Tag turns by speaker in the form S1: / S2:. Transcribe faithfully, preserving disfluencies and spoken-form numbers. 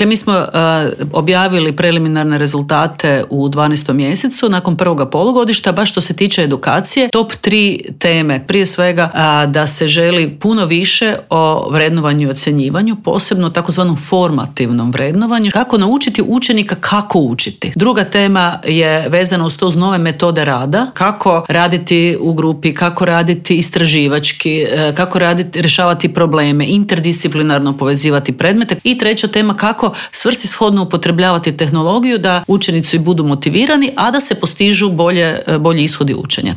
S1: Dakle, mi smo uh, objavili preliminarne rezultate u dvanaestom mjesecu nakon prvoga polugodišta, baš što se tiče edukacije. Top tri teme, prije svega uh, da se želi puno više o vrednovanju i ocjenjivanju, posebno takozvanom formativnom vrednovanju, kako naučiti učenika kako učiti. Druga tema je vezana uz to uz nove metode rada, kako raditi u grupi, kako raditi istraživački, uh, kako raditi, rješavati probleme, interdisciplinarno povezivati predmete. I treća tema, kako svrsishodno upotrebljavati tehnologiju da učenici budu motivirani, a da se postižu bolje, bolji ishodi učenja.